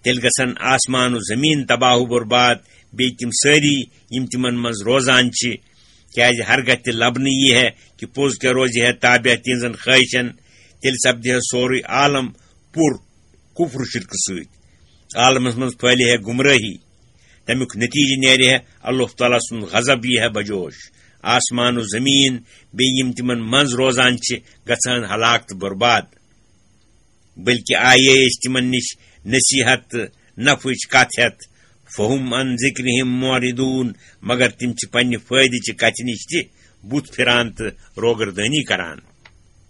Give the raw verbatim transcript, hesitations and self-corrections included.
تیٚلہِ گژھن آسمان و زمین تباہ و برباد، بیٚیہِ تِم سٲری یِم تِمن منٛز روزان چھِ، کیازِ ہرگاہ تہِ لبنہٕ یی ہے کہِ پوٚز کیٛاہ روزِ ہے تابع تِہنٛزن خٲہشن، تیٚلہِ سپدِ ہے سورُے عالم پُر کفر و شرکہٕ سۭتۍ۔ عالمس منٛز پھٲلہِ ہے گمرٲہی۔ تمیُک نتیجہٕ نیرِ ہے اللہ تعالیٰ سُنٛد غضب یی ہے بجوش۔ آسمان و زمین بیٚیہِ یِم تِمن منٛز روزان چھِ گژھان ہلاک تہٕ برباد۔ بلکہ آیے أسۍ تِمن نِش نصیحت تہٕ نفعٕچ کتھ ہٮ۪تھ، فہم عن ذکرہم معرضون، مگر تِم چھِ پننہِ فٲیدٕ چہِ کتھِ نِش تہِ بُتھ پھران تہٕ روگردٲنی کران۔